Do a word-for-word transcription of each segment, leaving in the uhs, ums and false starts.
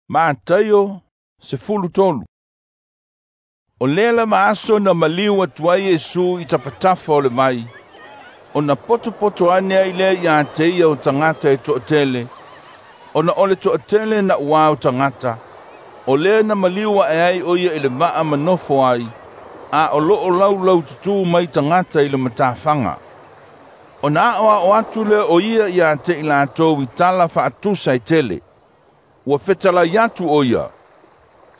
Mataio sefulu tolu. O lea lava aso na maliu atu ai Iesu i tafatafa o le vai, ona potopoto ane ai lea iā te ia o tagata e toʻatele, ona o le toʻatele naʻuā o tagata, o lea na maliu aʻe ai ʻo ia i le va'a ma nofo ai, a o loo laulau tutū mai tagata i le matafaga. Ona aʻoaʻo atu lea o ia iā te i latou i tala faatusa e tele. Ua fetalai atu ʻo ia,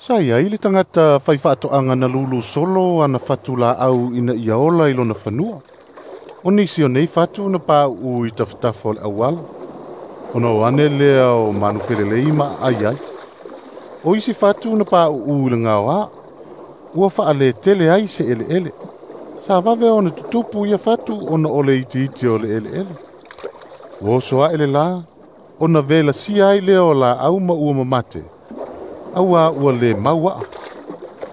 Sa iai le tagata faifaatoaga na lulu solo ana fatu laau ina ia ola i lona fanua. O nisi o nei fatu na pauu i tafatafa o le auala, ona o ane lea o manu felelei ma aai ai. O isi fatu na pauu i le gaoā, ua faaletele ai se eleele. Sa vave ona tutupu ia fatu ona o le itiiti o le eleele. Ua oso aʻe le lā, ona velasia ai lea o laau ma ua mamate, auā ua lē mau aʻa.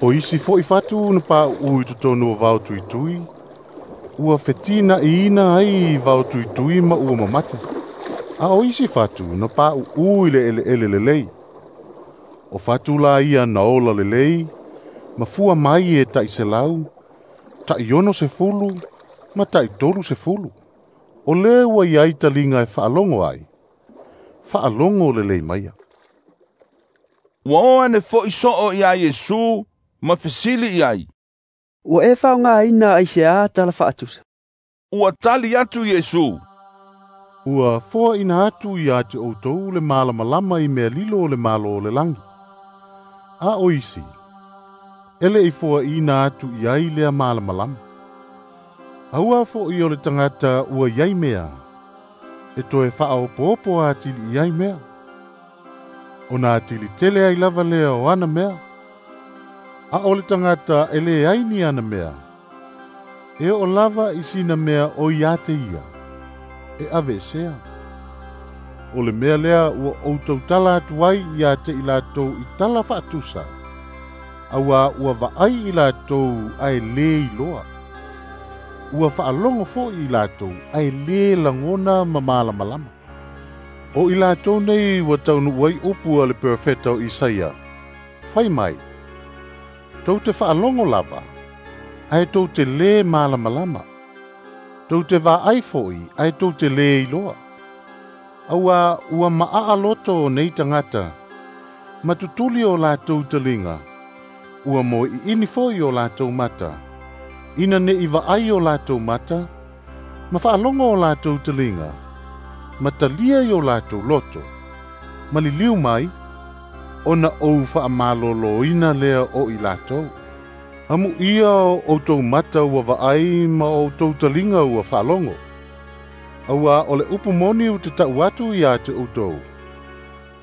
O isi foʻi fatu na pauu i totonu o vao tuitui, ua fetinaʻiina ai vao tuitui ma ua mamate. A o isi fatu na pauu i le eleele lelei. O fatu la ia na ola lelei, ma fua mai e taʻi selau, taʻi ono sefulu, ma taʻi tolu sefulu. O lē ua iai taliga e faalogo ai, faalogo lelei maia. Ua o ane foʻi soo iā Iesu ma fesili i ai, Ua e faaaogāina aiseā tala faatusa? Ua tali atu Iesu, Ua foaʻina atu iā te ʻoutou le malamalama i mea lilo o le Malo o le lagi. A o isi, e leʻi foaʻina atu i ai lea malamalama. Aua foʻi o le tagata ua iai mea, e toe faaopoopo atili i ai mea. Ona atili tele ai lava lea o ana mea. A o le tagata e leai ni ana mea, e oo lava i sina mea o iā te ia, e aveesea. O le mea lea ua ou tautala atu ai iā te i latou i tala faatusa, auā ua vaai i latou ae lē iloa. Ua faalogo foʻi i latou ae lē lagona ma malamalama. O i latou nei ua taunuu ai upu a le perofeta o Isaia. Fai mai, tou te faalogo lava, ae tou te lē malamalama. Tou te vaai foʻi, ae tou te lē iloa. Auā ua maʻaʻa loto o nei tagata, ma tutuli o latou taliga, ua moeʻiʻini foʻi o latou mata, ina neʻi vaai o latou mata, ma faalogo o latou taliga, ma talia i o latou loto, ma liliu mai, ona ou faamalōlōina lea o i latou. Amuia o outou mata ua vaai ma o outou taliga ua faalogo. Auā o le upu moni ou te taʻu atu iā te outou.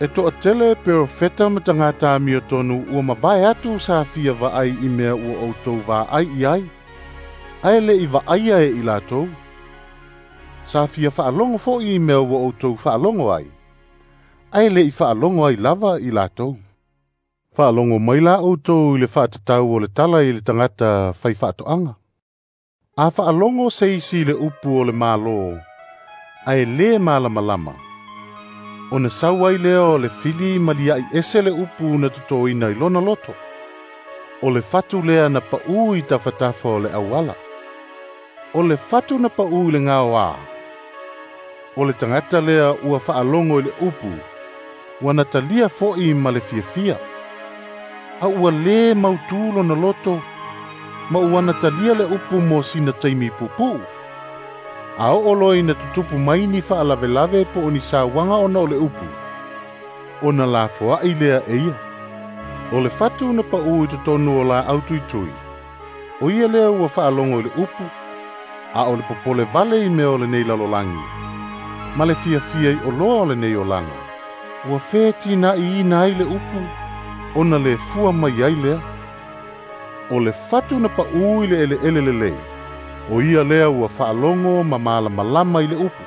E toʻatele perofeta ma tagata amiotonu ua mavae atu sa fia vaai i mea ua outou vaai i ai, ae leʻi vaaia e i latou. Sa fia faalogo foʻi i mea ua outou faalogo ai, ae leʻi faalogo ai lava i latou. Faalogo mai la outou i le faatatau o le tala i le tagata faifaatoaga. A faalogo se isi i le upu o le Malo, ae lē malamalama, ona sau ai lea o le fili ma liaʻi ese le upu na totoina i lona loto. O le fatu lea na paʻu i tafatafa o le auala. O le fatu na paʻu i le gaoā, o le tagata lea ua faalogo i le upu, ua na talia foʻi ma le fiafia. A ua lē mautū lona loto, ma ua na talia le upu mo sina taimi puupuu. A oo loa ina tutupu mai ni faalavelave po o ni sauaga ona o le upu, ona lafoaʻi lea e ia. O le fatu na paʻu i totonu o laau tuitui, o ia lea ua faalogo i le upu, a o le popole vale i mea o lenei lalolagi, ma le fiafia i oloa o lenei olaga, ua fetinaʻiina ai le upu, ona lē fua mai ai lea. O le fatu na paʻu i le eleele lelei, o ia lea ua faalogo ma malamalama i le upu.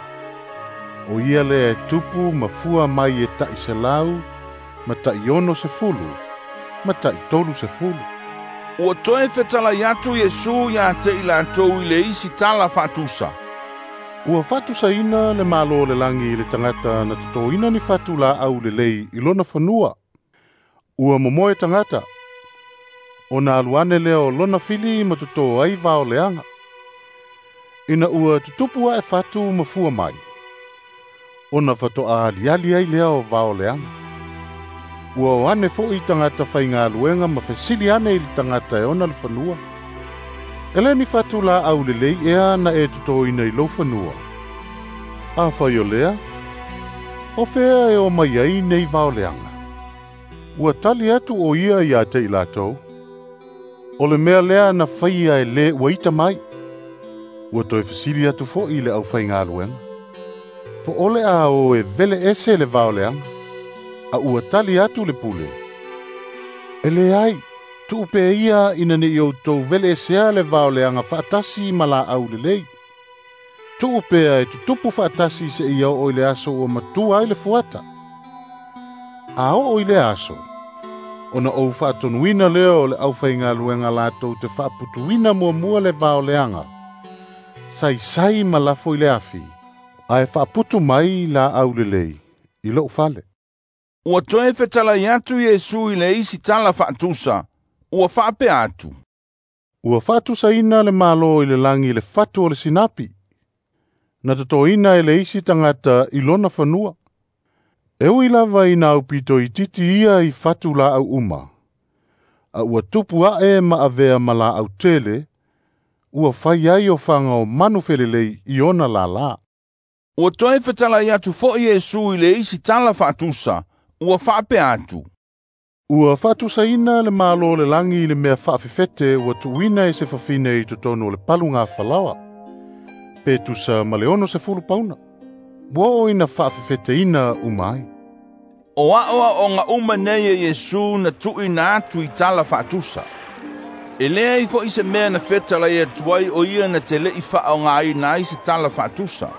O ia lea e tupu ma fua mai e taʻi selau, ma taʻi ono sefulu, ma taʻi tolu sefulu. Ua toe fetalai atu Iesu iā te i latou i le isi tala faatusa. Ua faatusaina le Malo o le lagi i le tagata na totoina ni fatu laau lelei i lona fanua. Ua momoe tagata, ona alu ane lea o lona fili ma totō ai vao leaga. Ina ua tutupu ae fatu ma fua mai, ona fatoa aliali ai lea o vao leaga. Ua o ane fo'i tagata faigaluega ma fesili ane i le tagata e ona le fanua. E le ni fatu laau lelei ea na e totoina i lou fanua. Afai o lea, o fea e o mai ai nei vao leaga. Ua tali atu o ia ia te i latou. O le mea lea na faia e lē ua ita mai. Ua toe fesili atu fo'i le aufaigaluega. Po o le a o e vele ese le vao leaga. A ua tali atu le pule. E leai, tuu pea ia ina nei outou vele esea le vao leaga faatasi ma laau lelei. Tuu pea e tutupu faatasi seia oo i le aso ua matua ai le fuata. A oo i le aso, ona ou faatonuina lea o le aufaigaluega latou te faaputuina muamua le vao leaga. Saisai ma lafo i le afi, ae faaputu mai laau lelei i lou fale. Ua toe fetalai atu Iesu i le isi tala faatusa, ua faapea atu. Ua faatusaina le Malo i le lagi i le fatu o le sinapi, na totoina e le isi tagata i lona fanua. E ui lava ina aupito itiiti ia i fatu laau uma, a ua tupu ae ma avea ma laau tele, ua fai ai ofaga o manu felelei i ona lālā. Ua toe fetalai atu fo'i Iesu i le isi tala faatusa, ua faapea atu. Ua faatusaina le Malo o le lagi i le mea faafefete ua tuuina e se fafine i totonu o le paluga falaoa, pe tusa ma le ono sefulu pauna. Ua oo ina faafefeteina uma ai. O aoaoga uma nei e Iesu na tuuina atu i tala faatusa. E leai fo'i se mea na fetalai atu ai o ia na te le'i faaogaina ai se tala faatusa.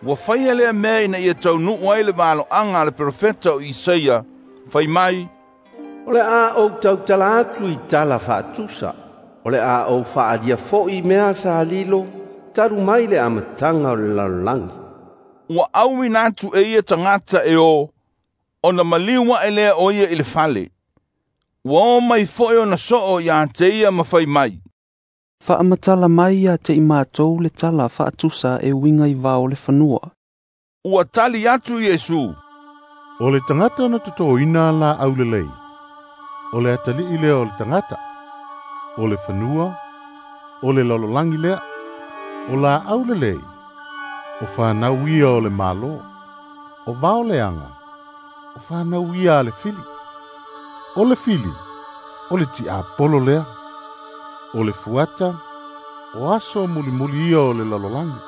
Ua faia lea mea ina ia taunuu ai le valoaga a le perofeta o Isaia, fai mai, O le a ou tautala atu i tala faatusa, o le a ou faalia fo'i mea sa lilo, talu mai le amataga o le lalolagi. Ua auina atu e ia tagata e o, ona maliu ae lea o ia i le fale. Ua o mai fo'i ona soo ia te ia ma fai mai. Faamatala mai ia te i matou le tala faatusa e uiga i vao le fanua. Ua tali atu Iesu. O le tagata na totoina laau lelei, o le atalii lea o le tagata, o le fanua, o le lalolagi lea, o laau lelei, o fanau ia o le Malo, o vao leaga, o fanau ia a le fili. O le fili, o le tiapolo lea, o le fuata, o aso mulimuli ia o le lalolagi,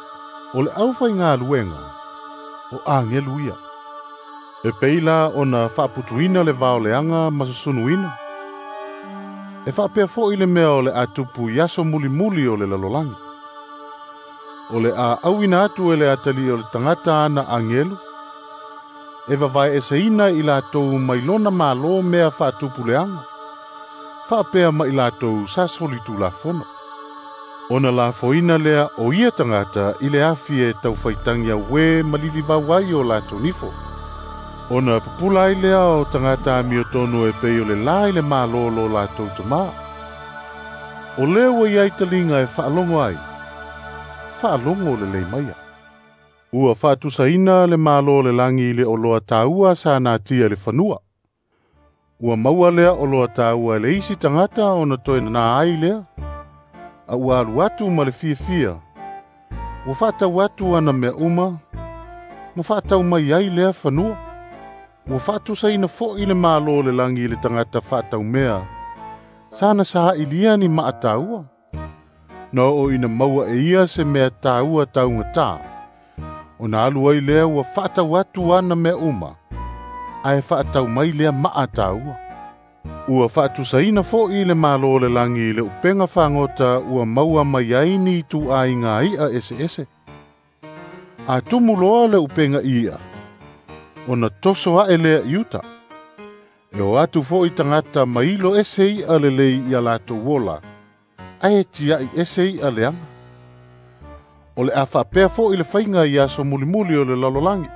o le aufaigaluega, o agelu ia. E pei la ona faaputuina le vao leaga ma susunuina. E faapea fo'i le mea o le a tupu i aso mulimuli o le lalolagi. O le a auina atu e le atalii o le tagata ana agelu, e vavae eseina i latou mai lona Malo mea faatupu leaga, faapea ma i latou sa solitulafono. Ona lafoina lea o ia tagata i le afi e taufaitagi auē ma lilivau ai o latou nifo. Ona pupula ai lea o tagata amiotonu e pei o le la i le Malo lo latou tamā. O lea ua iai taliga e faalogo ai, faalogo lelei maia. Ua faatusaina le Malo o le lagi i le oloa taua sa natia i le fanua. Ua maua lea oloa taua e le isi tagata ona toe nā ai lea. A ua alu atu ma le fiafia, ua faatau atu ana mea uma, ma faatau mai ai lea fanua. Ua faatusaina fo'i le Malo o le lagi i le tagata faataumea, sana saailia ni maa taua. Na oo ina maua e ia se mea taua taugatā, ona alu ai lea ua faatau atu ana mea uma, ae faatau mai lea maa taua. Ua faatusaina fo'i le Malo o le lagi i le upega fagota ua maua mai ai ni ituaiga i'a eseese. A tumu loa le upega i'a, ona toso ae lea i uta. E o atu fo'i tagata mailo ese i'a lelei ia latou ola, ae tiai ese i'a leaga. O le a faapea fo'i le faiga i aso mulimuli o le lalolagi.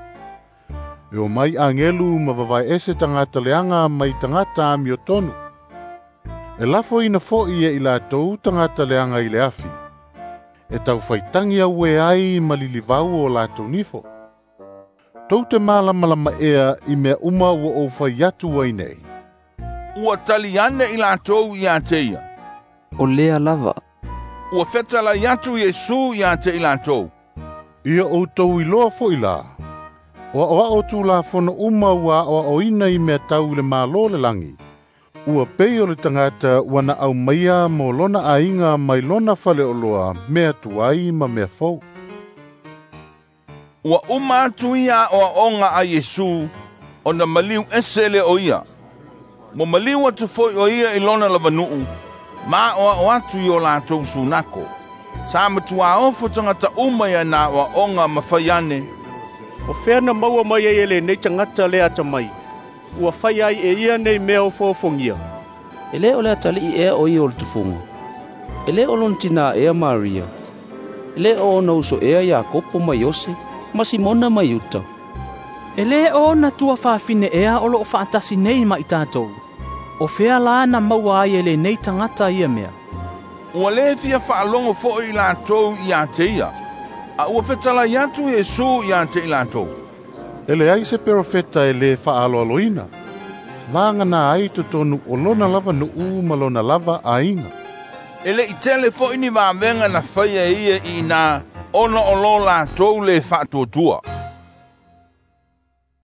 E o mai agelu ma vavae ese tagata leaga mai tagata amiotonu. E lafoina fo'i e i latou tagata leaga i le afi. E taufaitagi auē ai ma lilivau o latou nifo. Tou te malamalama ea i mea uma ua ou fai atu ai nei? Ua tali ane i latou ia te ia. O lea lava. Ua fetalai atu Iesu ia te i latou. Ia outou iloa fo'i la, o a'oa'o tulafono uma ua a'oa'oina i mea tau i le Malo o le lagi, ua pei o le tagata ua na aumaia mo lona aiga mai lona faleoloa mea tuai ma mea fou. Ua uma atu ia a'oa'oga a Iesu, ona maliu ese lea o ia. Mo maliu atu foi o ia i lona lavanu'u, ma a'oa'o atu i o latou sunako. Sa matuā ofo tagata uma ia na a'oa'oga ma fai ane, O fea na maua mai ai e lenei tagata le atamai, ua fai ai e ia nei mea ofoofogia? E lē o le atali'i ea o ia o le tufuga? E lē o lona tinā ea Maria? E lē o ona uso ea Iakopo ma Iose, ma Simona ma Iuta? E lē o ona tuafafine ea o loo faatasi nei ma i tatou? O fea la na maua ai e lenei tagata ia mea? Ua lē fia faalogo fo'i i latou ia te ia. A ua fetalai atu Iesu ia te i latou. E leai se perofeta e lē faaaloaloina. Vagana ai totonu o lona lava nu'u ma lona lava aiga. E le'i tele fo'i ni vavega na faia e ia i inā, ona o lo latou lē faatuatua.